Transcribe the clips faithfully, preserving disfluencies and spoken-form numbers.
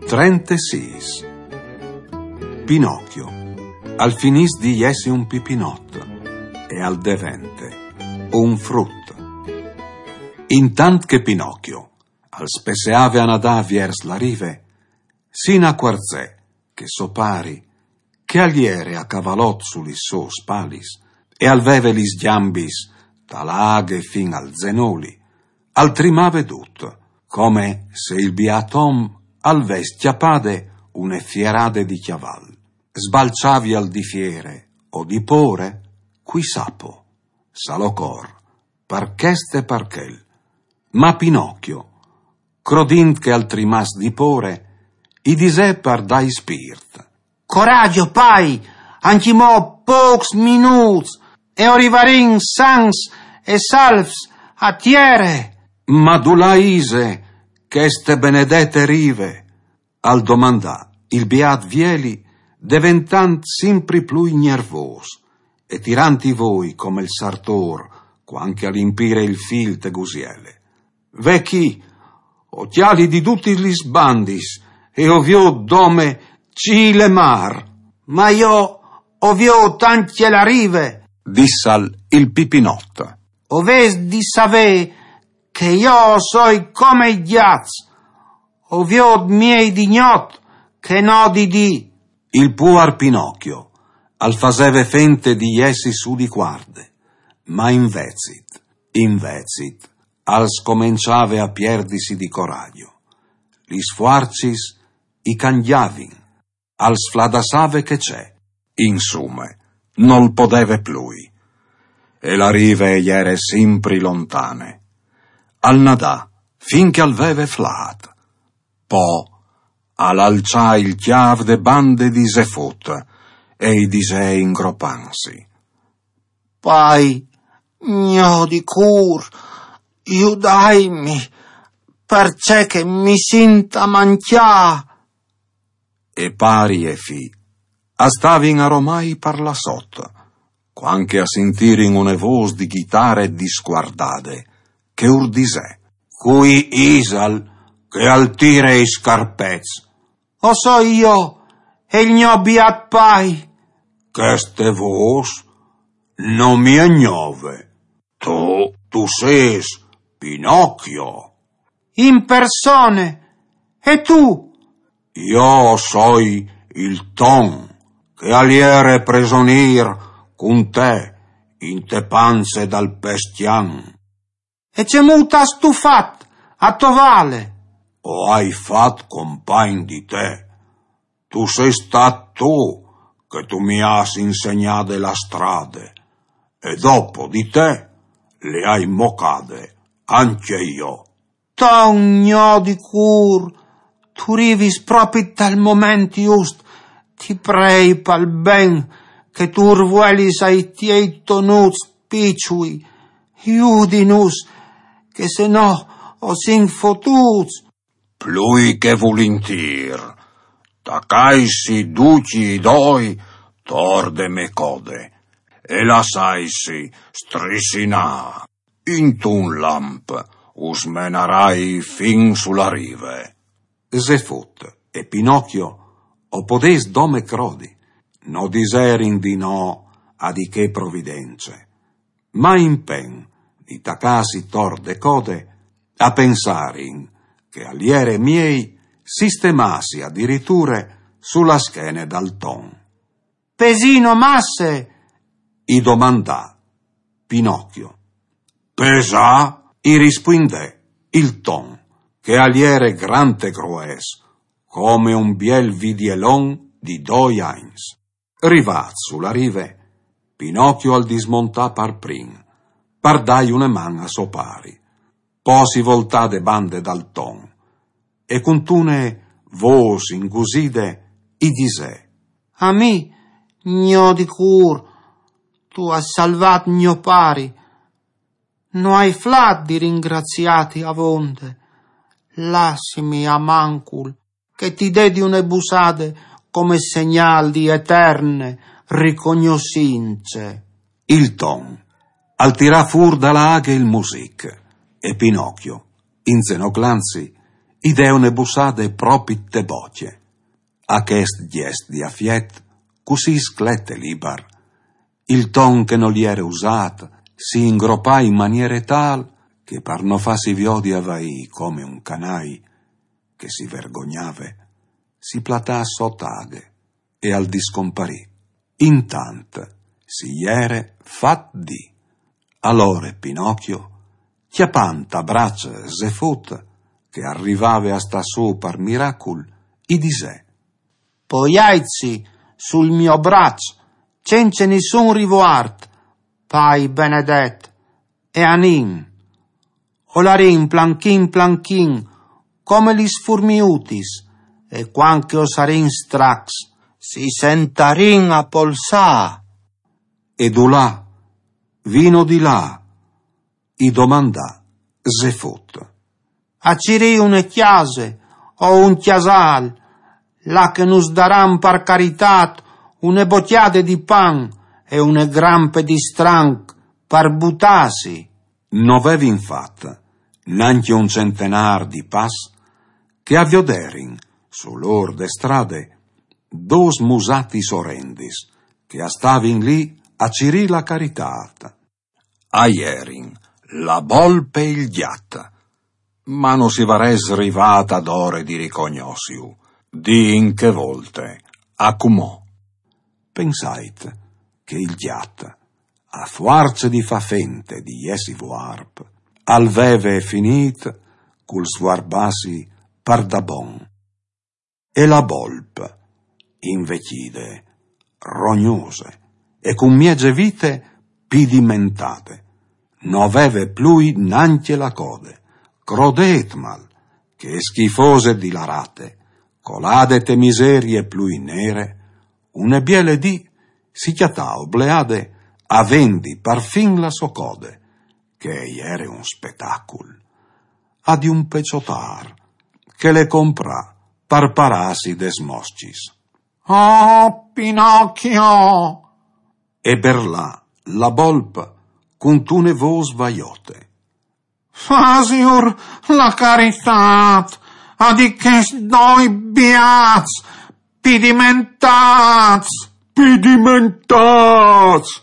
Trentesis. Pinocchio al finìs di jessi un pipinot e al devente un frut. Intant che Pinocchio al spesseave a nadà viers la rive, si inacuarzè che so pari, che al jere a cavalot su lis sôs spalis e al veve lis gjambis da la aghe fin al zenoli, al trimave dut, come se il biat om al ves cjapade une fierade di cjaval. Sbalçavial di fiere o di pôre, cui sa po, sa lo cor, par chest e par chel. Ma Pinocchio, crodint che al trimàs di pôre, i disè par dâi spirt: «Coragjo, pai, ancjemò pôcs minûts e o rivarìn sans e salvs a tiere.» Ma dulà ise cheste benedete rive? Al domandà il biat vieli, deventant simpri plui gnervôs e tirant i voi come il sartôr cuant che al impire il fîl te gusiele. «Ve chi, o cjali di dutis lis bandis e o viôt dome cîl e mâr.» «Ma jo o viôt ancje la rive», dissal il pipinot. «O vês di savê che jo o soi come i gjats, o viôt miei di gnot che no di dì.» Il puar Pinocchio al faseve fente di jessi su di cuarde, ma invezit, invezit, al scomençave a pierdisi di coragjo. Lis fuarcis i cangjavin, al sfladassave che ce. Insume, nol podeve plui. E la rive e jere simpri lontane. Al nadà fin che al veve flât. Po al alçà il cjâf de bande di Zefut e i disè ingropantsi: «Pai, gno di cûr, judaimi, parcè che mi sint a mancjâ.» E pari e fi a stavin aromai par là sot, cuant che a sintirin une vôs di ghitare discuardade che ur disè: «Cui isal che al tire i scarpets?» «O soi jo, e il gno biat pai.» «Cheste vôs no mi è gnove.» «Tu, tu sês Pinocchio.» «In persone. E tu?» «Jo o soi il Ton, che al jere presonîr cun te inte panze dal pes cjan.» «E cemût âstu fat a tovâle?» «O ai fat compagn di te. Tu sês stât tu che tu mi âs insegnade la strade, e dopo di te le ai mocade ancje jo.» «Ton gno di cûr, tu rivis propit tal moment just. Ti prei pal ben che tu ur vuelis ai tiei tonuts piçui. Judinus, che se no o sin fotûts.» «Plui che vulintîr. Tacaisi ducj i doi tor de mê code e lassaisi strissinâ. Intun lamp us menarai fin su la rive.» Zefut e Pinocchio o podês dome crodi, no diserin di no a di chê providence. Ma in pen di tacâsi tor de code, a pensarin che al jere miei sistemâsi adiriture su la schene dal Ton. «Pesino masse?» i domandà Pinocchio. «Pesâ?» i rispuindè il Ton, che al jere grant e grues, come un biel vidielon di doi agns. Rivât su la rive, Pinocchio al dismontà par prin, par dâi une man a so pari. Po si voltà de bande dal Ton e cuntune vôs inguside i disè: «A mi, gno di cûr, tu âs salvât gno pari. No ai flât di ringraziâti avonde. Lassimi almancul che ti dedi une bussade come segnâl di eterne ricognossince.» Il Ton al tirà fûr da la aghe il music e Pinocchio, inzenoclantsi, I dè une bussade propit te bocje. A chest gjest di afiet, cussì sclet e libar, il ton che nol jere usât, si ingropà in maniere tâl che par no fâsi viodi a vaî come un canâi che si vergognave, si platà sot aghe e al discomparì. Intant si jere fat dì. Alore Pinocchio, cjapant a braç Zefut, che al rivave a stâ sù par miracul, i disè: «Poiaitsi sul gno braç, cence nissun rivuart, pai benedet, e anìn. O larìn planchin planchin, come lis furmiutis, e cuant che o sarìn stracs, si sentarìn a polsâ.» «E dulà, vino di là?» i domandà Zefut. «A cirî une cjase o un cjasâl, là che nus daran par caritât une bocjade di pan e une grampe di stranc par butâsi.» No vevin fat nancje un centenâr di pas che a vioderin su l'ôr de strade dôs musatis orendis che a stavin lì a cirî la caritât. A jerin la bolp e il gjat, ma no si varès rivât adore di ricognossiu, di in chê volte a cumò. Pensait che il gjat, a fuarce di fâ fente di jessi vuarp, al veve finît cul svuarbâsi par da bon. E la bolp, invecjide, rognose e cun mieze vite pidimentade, no veve plui nancje la code. Crodêtmal che e schifose di la rate, colade te miserie plui nere, une biele dì si cjatà obleade a vendi parfin la sô code, che e jere un spetacul, a di un peçotâr che le comprà par parâsi des moscis. «Oh, Pinocchio!» e berlà la bolp cuntune vôs vajote. «Fasiur la caritât a di chescj doi biats pidimentâts!» «Pidimentâts!»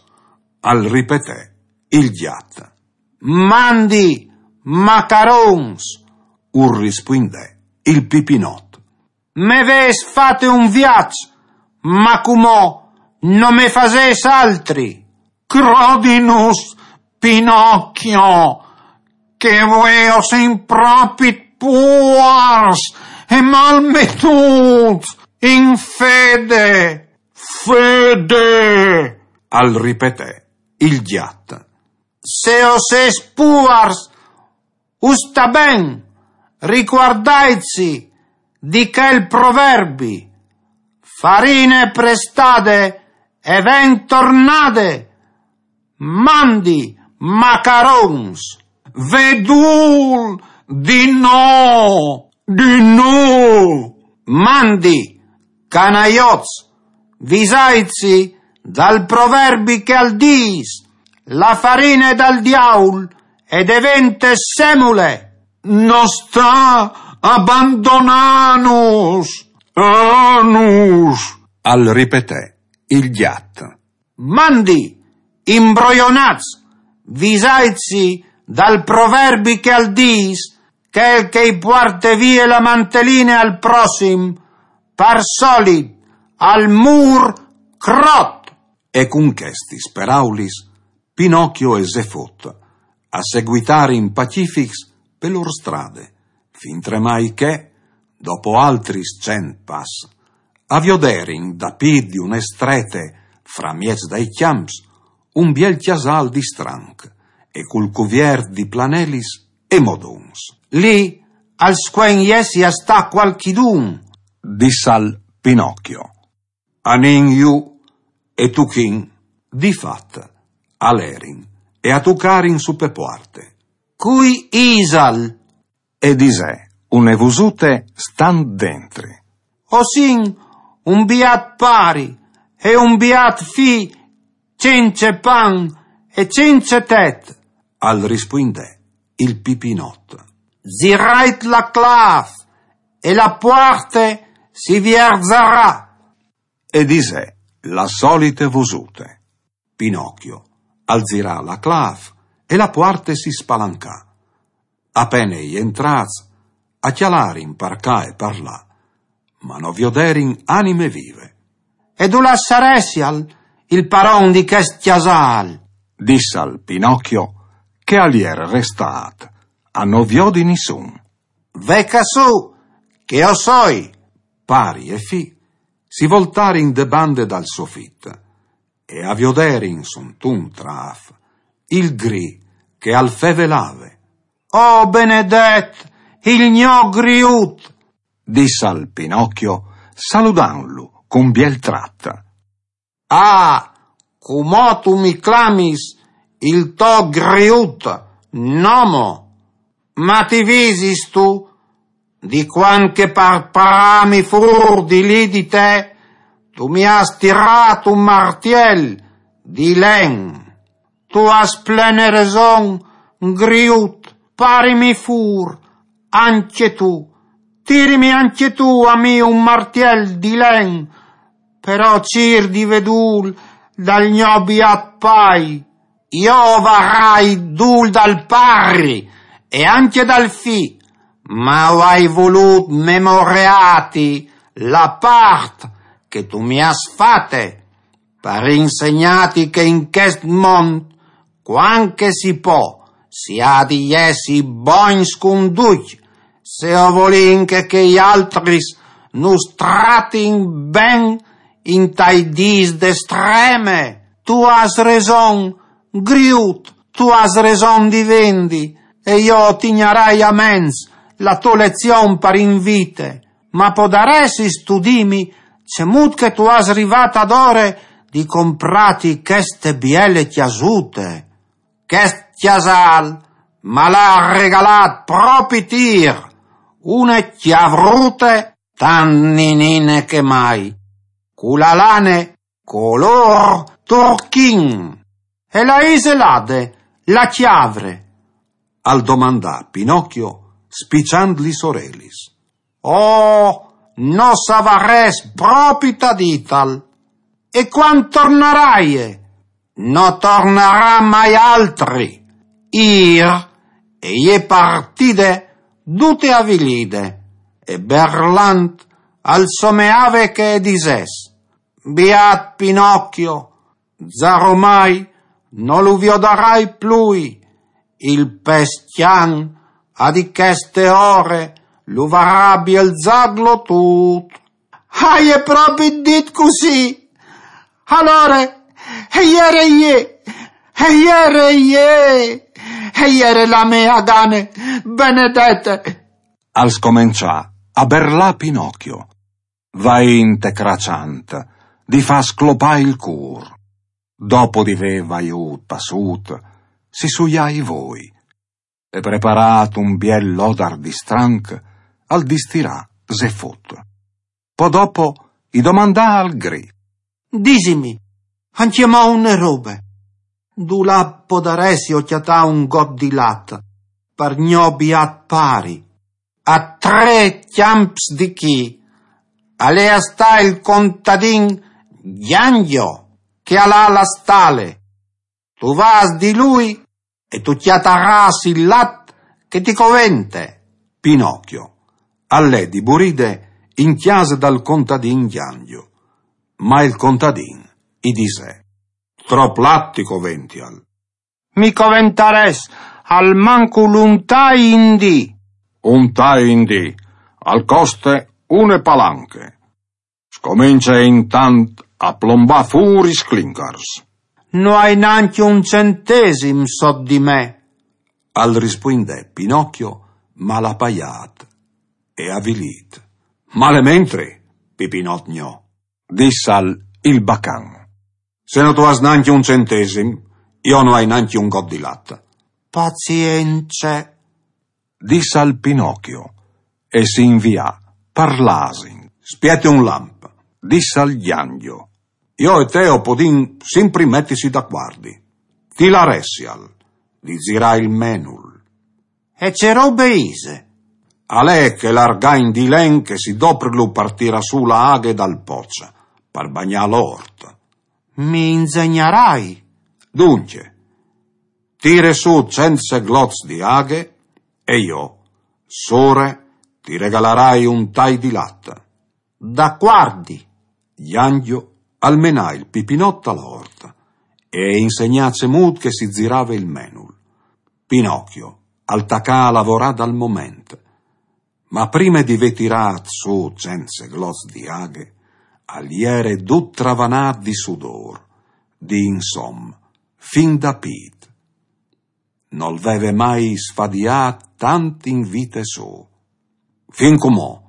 al ripetè il gjat. «Mandi, macarons!» ur rispuindè il pipinot. «Me vês fate un viaç, ma cumò no me fasês altri.» «Crodinus, Pinocchio, che vuê o sin propit puars e malmetûts in fede.» «Fede!» al ripetè il gjat. «Se o sês puars, us sta ben, ricuardaitsi di chel proverbi: farine prestade e ven tornade. Mandi, macarons!» «Vedûl, di no, di no!» «Mandi, canajots, visaitsi dal proverbi che al dîs: la farine dal diaul e devente semule.» «No sta abandonânus!» «Anus!» al ripetè il gjat. «Mandi, imbrojonats, visaitsi dal proverbi che al dîs: chel che i puarte vie la manteline al prossim, par solit al mûr crot.» E cun chestis peraulis Pinocchio e Zefut a seguitarin pacifics pe lôr strade, fintremai che, dopo altris cent pas, a vioderin dapît di une strete, framieç dai cjamps, un biel cjasâl di stranc e cul cuviert di planelis e modons. «Li al scuen jessi a stâ cualchidun», dissal Pinocchio. «Anìn jù e tuchìn.» Di fat, a lerin e a tucarin su pe puarte. «Cui isal?» e disè une vosute stant dentri. «O sin un biat pari e un biat fi cence pan e cence tet», al rispuindè il pipinot. «Zirait la claf, e la puarte si vierzarà. E disè la solite vosute. Pinocchio al zirà la claf e la puarte si spalancà. Apene i entrats a cjalarin par ca e par là, ma no vioderin anime vive. E dulà saressial il paron di chest cjasal? Dissal Pinocchio, che al ier restât a no viodi nissun. Ve ca su, che o soi. Pari e fi si voltarin de bande dal sofit e a vioderin suntun traf il gri che al fevelave. Oh benedet, il gno griut! Dissal Pinocchio, saludanlu cun biel trat. Ah, cumò tu mi clamis il to griut nomo, ma ti visistu di cuant che par parâmi fûr di li di te tu mi âs tirât un martiel di len? Tu âs plene reson, griut, parimi fûr, ancje tu, tirimi ancje tu a mi un martiel di len, però cîr di vê dûl dal gno biât pai. Jo o varai dûl dal pari e ancje dal fi, ma o ai volût memoreâti la part che tu mi âs fate, par insegnâti che in chest mont, cuant che si pò, si à di jessi bogns cun ducj, se o volìn che chei altris nus tratin ben intai dîs de streme. Tu âs reson, griut, tu âs reson di vendi, e jo o tignarai a ments la tô lezion par in vite. Ma podaressistu dîmi cemût che tu âs rivât adore di comprâti cheste biele cjasute? Chest cjasâl mal à regalât propit îr une cjavrute tant ninine che mai, cu la lane colôr turchin. E la ise lade, la cjavre? Al domandà Pinocchio, spiçant lis orelis. Oh, no savarès propit a dîtal. E cuant tornaraie? No tornarà mai altri. Îr e je partide dute avilide, e berlant al someave che e disès: Biât Pinocchio, zaromai no lu viodarai plui, il pes cjan a di cheste ore lu varà bielzât glotût. Aie propit dit cussì. Alore, e jere jê, e jere jê, e jere la mê gane, benedete. Al scomençà a berlâ Pinocchio, vaint e craçant, di fâ sclopâ il cûr. Dopo di vê vaiût passût, si suià i voi, e preparât un biel lodar di stranc, al distirà ze fot. Po dopo i domandà al gri: Disimi ancjemò une robe. Dulà podaressio cjatâ un got di lat par gno biât pari? A trê cjamps di chi al è a stâ il contadin Gjangjo, che al à la stale. Tu vâs di lui e tu cjatarâs il lat che ti covente. Pinocchio al lè di buride in cjase dal contadin Gjangjo, ma il contadin i disè: Trop lat ti covential. Mi coventarès almancul un tai in dì. Un tai in dì al coste une palanche. Scomence intant a plombâ fûr i sclincars. No ai nancje un centesim sot di me, al rispuindè Pinocchio, malapaiât e avilît. Malementri, Pipinot gno, dissal il bacan. Se no tu âs nancje un centesim, jo no ai nancje un got di lat. Pazience, dissal Pinocchio, e si invià par l'asin. Spiete un lamp, dissal Gjangjo. Jo e te o podìn simpri metisi d'acuardi. Chi laressial di zirâ il menul? E ce robe ise? Al è chel argagn di len che si doprlu par tirâ sù la aghe dal poç, par bagnâ l'ort. Mi inzegnarai? Duncje, tire sù cent seglots di aghe e jo, sore, ti regalarai un tai di lat. Dacuardi. Janjo al menà il pipinot a la ort e i insegnà cemût che si zirave il menul. Pinocchio al tacà a lavorâ dal moment, ma prime di vê tirât sù cent seglots di aghe, al jere dut travanât di sudôr, di insom, fin da pît. Nol veve mai sfadiât tant in vite sô. Fin cumò,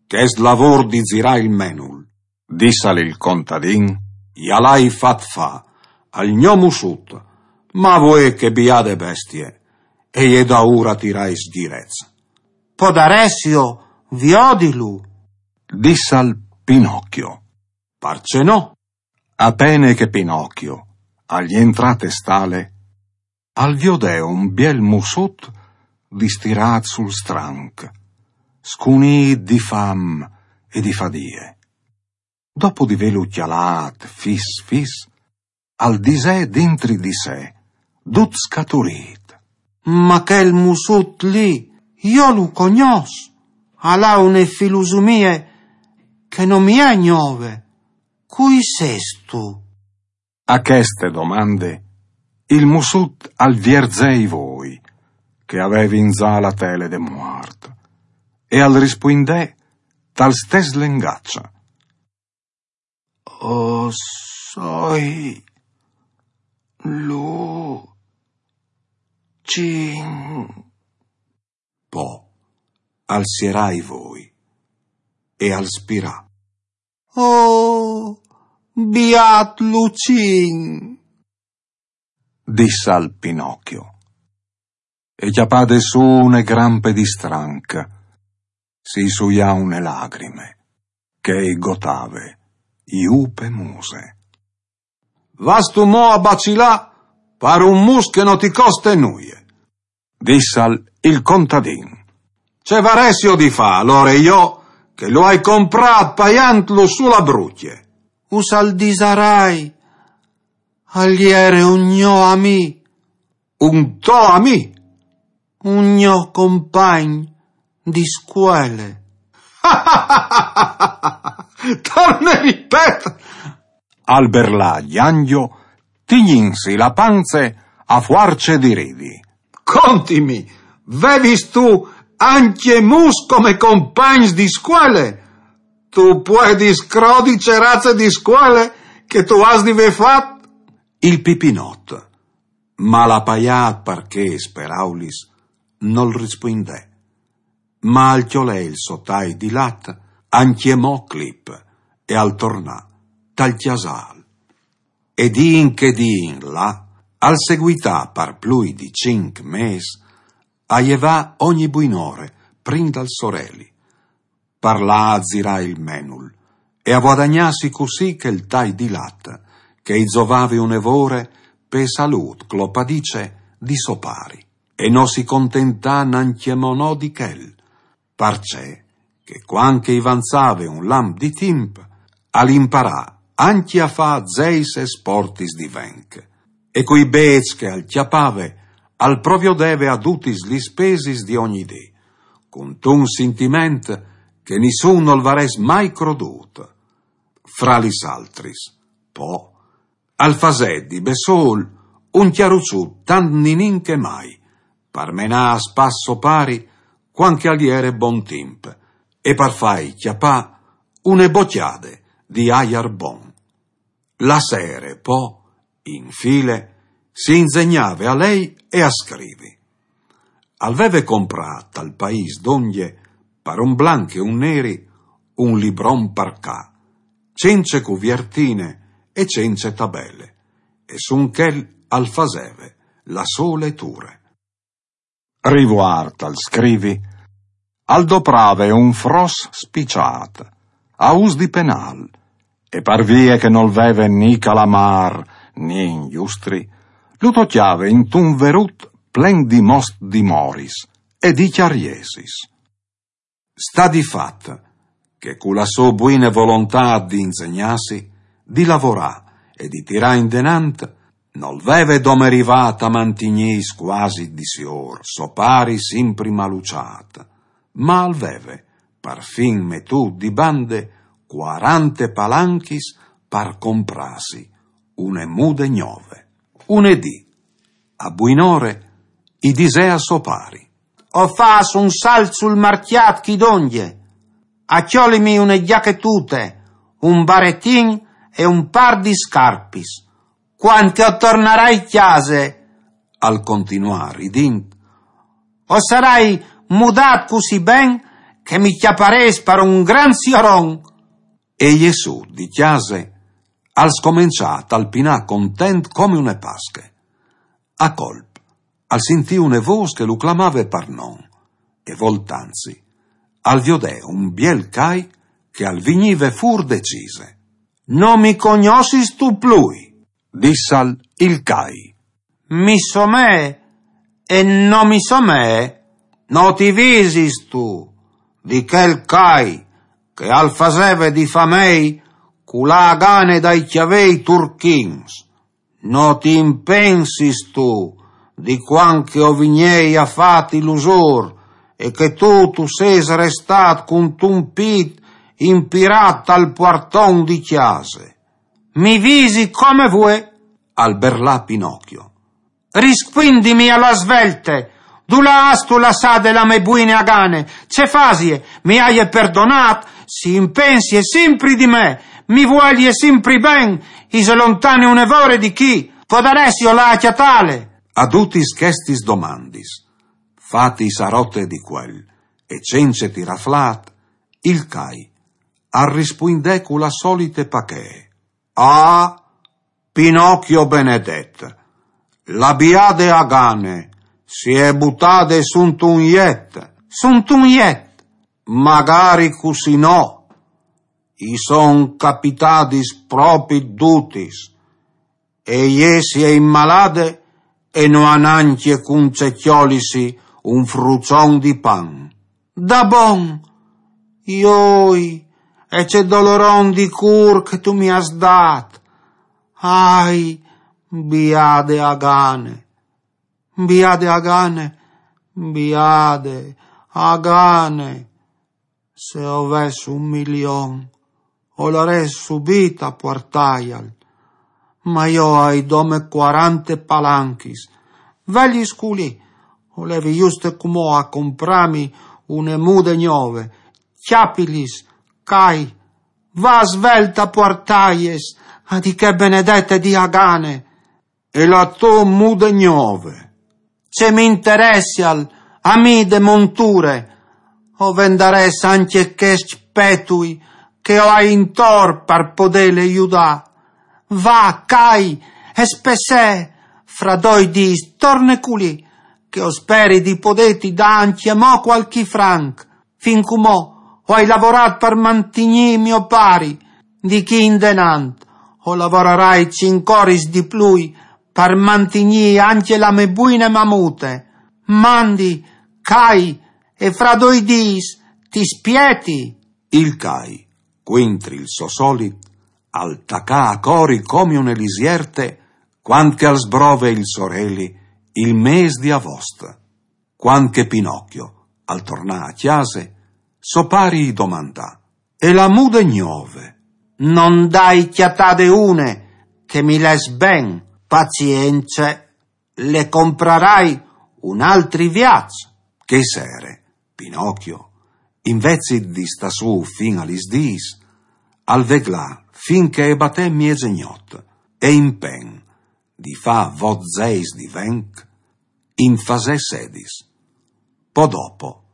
chest lavôr di zirâ il menul, dissal il contadin, ja l'ai fat fâ al gno mussut, ma vuê che biade bestie, e je daûr a tirâi sdirets. Podaressio viodilu? Dissal Pinocchio. Parcè no? Apene che Pinocchio al jentrà te stale, al viodè un biel mussut distirât sul stranc, scunît di fam e di fadie. Dopo di vêlu cjalât fis fis, al disè dentri di se, dut scaturît: Ma chel mussut li, jo lu cognòs, al à une filusumie che no mi è gnove. Cui sêstu? A cheste domande, il mussut al vierzè i voi, che a vevin za la tele de muart, e al rispuindè tal stes lengaç: O soi lu cin. Po al sierà i voi e al spirà: O biat Lucin! Dissal Pinocchio. E cjapade sù une grampe di stranc, si suià une lagrime, che i gotave jù pe muse. Vastu mo a bacilâ par un mus che no ti coste nuie, dissal il contadin. Ce varessio di fâ alore jo, che lu ai comprât paiantlu su la brucje? Us al disarai, al jere un gno amì. Un to amì? Un gno compagn di scuele. Torne ripet! Al berlà Janjo, tignintsi la panze a fuarce di ridi. Contimi, vevistu ancje mus come compagns di scuele? Tu puedis crodi ce raze di scuele che tu âs di vê fat? Il pipinot, mal apaiât par chês peraulis, nol rispuindè, ma al cjolè il so tai di lat ancjemò clip e al tornà tal cjasâl. E di in che di in là, al seguità par plui di cinc mês a jevâ ogni buinore prin dal soreli, par lâ a zirâ il menul e a vuadagnâsi cussì chel tai di lat che i zovave une vore pe salût clopadice di so pari. E no si contentà nancjemò no di chel, parcè che cuant che i vanzave un lamp di timp, al imparà ancje a fâ zeis e sportis di venc, e cui bêçs che al cjapave al proviodeve a dutis lis spesis di ogni dì, cuntun sintiment che nissun nol varès mai crodût. Fra lis altris, po, al fasè di bessôl un cjaruçut tant ninin che mai, par menâ a spas so pari cuant che al jere bon timp, e par fâi cjapâ une bocjade di aiar bon. La sere, po, in file, si inzegnave a lei e a scrivi. Al veve comprât tal paîs dongje, par un blanc e un neri, un libron par ca, cence cuviertine e cence tabele, e sun chel al faseve la sô leture. Rivuart al scrivi, al doprave un fros spiçât, a ûs di penâl, e par vie che nol veve ni calamâr ni ingjustri, lu tocjave intun verut plen di most di moris e di cjariesis. Sta di fat che cu la so buine volontât di inzegnâsi, di lavorâ e di tirâ indenant, nol veve dome rivât a mantignîs cuasi di siôr so pari simpri maluçât, ma al veve parfin metût di bande cuarante palanchis par comprâsi une mude gnove. Une dì, a buinore, i disè a so pari: «O fâs un salt sul marcjât chi dongje, a cjolimi une gjachetute, un baretin e un pâr di scarpis. Cuant che o tornarai cjase», al continuà ridint, «o sarai mudât cussì ben che mi cjaparês par un grant sioron». E jessût di cjase, al scomençà a talpinâ content come une Pasche. A colp, al sintì une vôs che lu clamave par non, e voltantsi, al viodè un biel cai che al vignive fûr de cise. «No mi cognosistu plui?» dissal il cai. «Mi somee e no mi somee, no ti visistu di chel cai che al faseve di famei culâ a gane dai cjavei turchins? No ti impensistu di cuant che o vignei a fâti l'usôr e che tu tu sês restât cuntun pît impirât tal puarton di cjase?» «Mi visi come vuê», al berlà Pinocchio. «Rispuindimi a la svelte, dulà âstu lassade la mê buine Agane? Ce fasie? Mi aie perdonât? Si impensie simpri di me, mi vuelie simpri ben, ise lontane une vore di chi, podaressio lâ a cjatâle?» A dutis chestis domandis, fatis a rote di cuel e cence tirâ flât, il cai al rispuindè cu la solite pachee: «Ah, Pinocchio benedet, la biade Agane si è butade suntun jet». «Suntun jet?» «Magari cussì no, i son capitadis propit dutis, e jê si è immalade e no à nancje cun ce cjolisi un fruçon di pan». «Da bon? Joi, e ce doloron di cûr che tu mi âs dât! Ahi, biade Agane, biade Agane, biade Agane! Se o ves un milion, o larès subit a puartâjal. Ma jo o ai dome cuarante palanchis. Velis culì, o levi juste cumò a comprâmi une mude gnove. Cjapilis, cai, va svelt a puartâies a di chê benedete di Agane». «E la tô mude gnove?» «Ce mi interessial a mi de monture? O vendarès ancje chescj petui che o ai intor par podêle judâ. Va, cai, e spessee, fra doi dîs torne culì, che o speri di podêti dâ ancjemò cualchi franc. Fin cumò o ai lavorât par mantignî mio pari, di chi indenant o lavorarai cinc oris di plui par mantignî ancje la mê buine mamute. Mandi, cai, e fra doi dîs ti spieti». Il cai, cuintri il so solit, al tacà a cori come une lisierte cuant che al sbrove il soreli il mês di avost. Cuant che Pinocchio al tornà a cjase, so pari i domandà: «E la mude gnove? No 'nd ai cjatade une che mi les ben?» «Pazience, le comprarai un altri viaç». Chê sere, Pinocchio, invezit di stâ sù fin a lis dîs, al veglà fin che e batè mieze gnot, e in pen di fâ vot zeis di venc, in fasè sedis. Po dopo,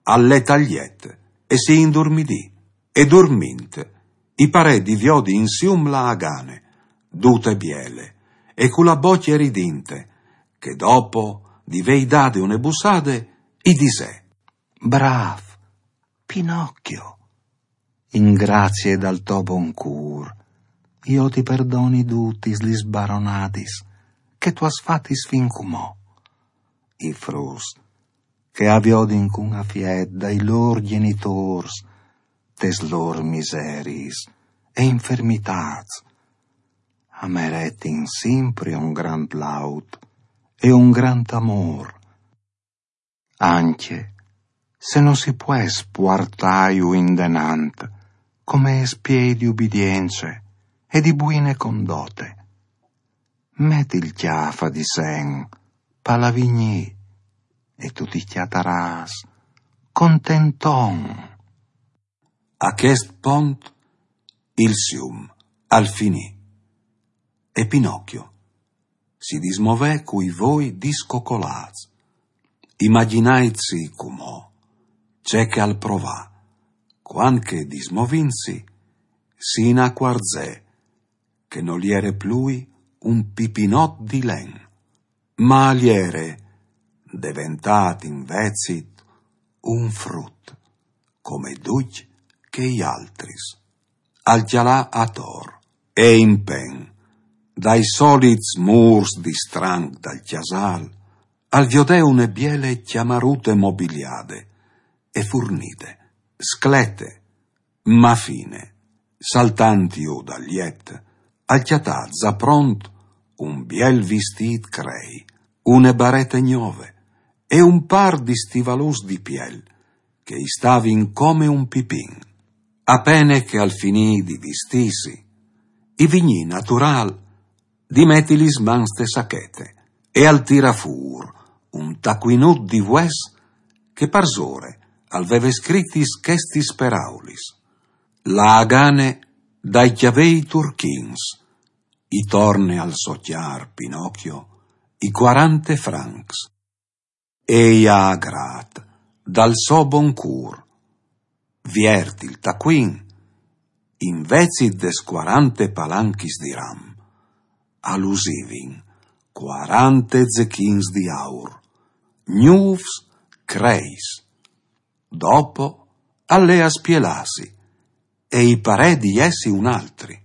al let al jet e si indurmidì, e durmint, i parè di viodi insium la Agane, dute biele, e cu la bocje ridinte, che dopo di vei dade une bussade, i disè: «Brâf, Pinocchio, in grazie dal to bon cûr, jo ti perdoni dutis lis baronadis che tu âs fatis fin cumò. I fruts che a viodin cun afiet dai lôr gjenitôrs tes lôr miseriis e infermitâts, a meretin simpri un grant laud e un grant amôr, ancje se no si pues puartâju indenant come espiei di ubidience e di buine condote. Met il cjâf a disen pal avignî e tu ti cjatarâs contenton. A chest pont il sium al finì e Pinocchio si dismovè cui voi discocolâts. Imagjinaitsi cumò ce che al provà, cuant che dismovintsi si inacuarzè che nol jere plui un pipinot di len, ma al jere deventât invezit un frut, come ducj chei altris. Al cjalà ator e in pen, dai solits mûrs di stranc dal cjasâl, al viodè une biele cjamarute mobiliade e furnide, sclete, ma fine, saltant jù dal jet, al cjatà za pront un biel vistît crei, une barete gnove e un pâr di stivaluts di piel che i stavin come un pipin. A pene che al finì di vistîsi, i vignì naturâl di meti lis mans te sachete e al tirà fûr un tacuinut di vues che parsore al veve scritis chestis peraulis: «La agane dai cjavei turchins, i torne al so cjar Pinocchio i cuarante francs». E i à agrât dal so bon cûr. Viert il tacuin, invezit des cuarante palanchis di ram, a lusivin cuarante zechins di aur, gnûfs creis. Dopo al lè a spielâsi e i parè di jessi un altri.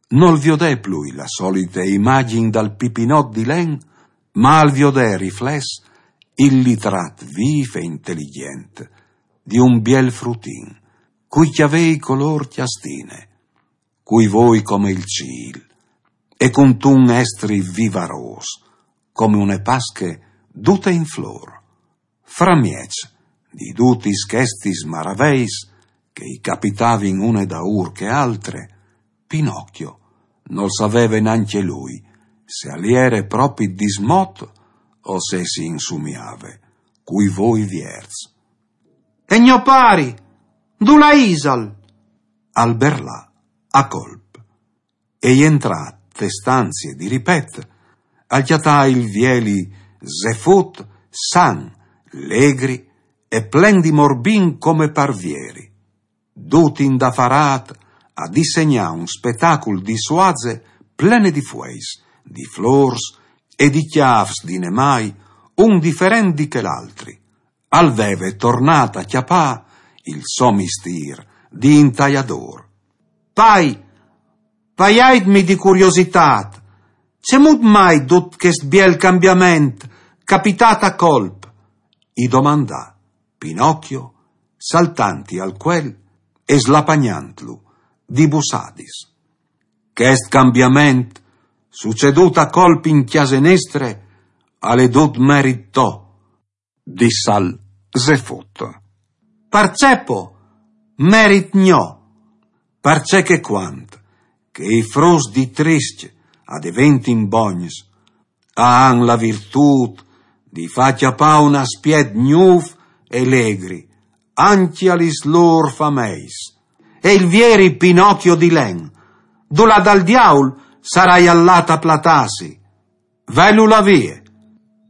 Nol viodè plui la solite imagjin dal pipinot di len, ma al viodè riflès il litrat vîf e inteligjent di un biel frutin, cui cjavei colôr cjastine, cui voi come il cîl, e cuntun estri vivarôs, come une pasche dute in flôr. Framieç di dutis chestis maraveis che i capitavin une daûr che altre, Pinocchio nol saveve nancje lui se al jere propit dismot o se si insumiave cui voi vierts. «E gno pari, dulà isal?» al berlà a colp. E jentrât te stanzie di ripet, al cjatà il vieli Zefut san, legri e plen di morbin come par vieri, dut indafarât a disegnâ un spetacul di suaze plene di fueis, di flôrs e di cjâfs di nemâi, un diferent di chel altri. Al veve tornât a cjapâ il so mistîr di intaiadôr. «Pai, paiaitmi di curiositât, cemût mai dut chest biel cambiament, capitât a colp?» i domandà Pinocchio, saltantli al cuel e slapagnantlu di bussadis. «Chest cambiament, sucedût a colp in cjase nestre, al è dut merit to», dissal Zefut. «Parcè po merit gno?» «Parcè che cuant che i fruts di triscj a deventin bogns, a àn la virtût di fâ cjapâ un aspiet gnûf e legri ancje a lis lôr fameis. E il vieri Pinocchio di len, dulà dal diaul sarà jal lât a platâsi?» «Velu là vie»,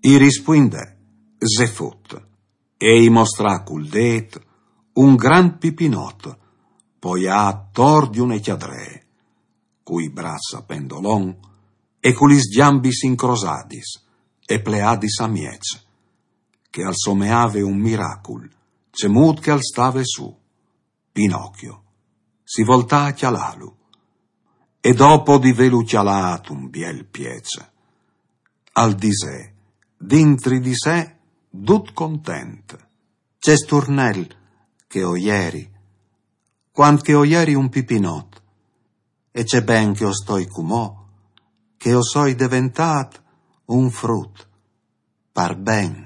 i rispuindè Zefut, e i mostrà cul dêt un grant pipinot poiât tor di une cjadree, cui braçs a pendolon e cu lis gjambis incrosadis e pleadis a mieç, che al someave un miracul, cemût che al stave sù. Pinocchio si voltà a cjalâlu, e dopo di vêlu cjalât un biel pieç, al disè dintri di se Dut content. Ce sturnel che o ieri, quand che o ieri un pipinot, e ce ben che o stoi cumò, che o soi deventât un frut, par ben.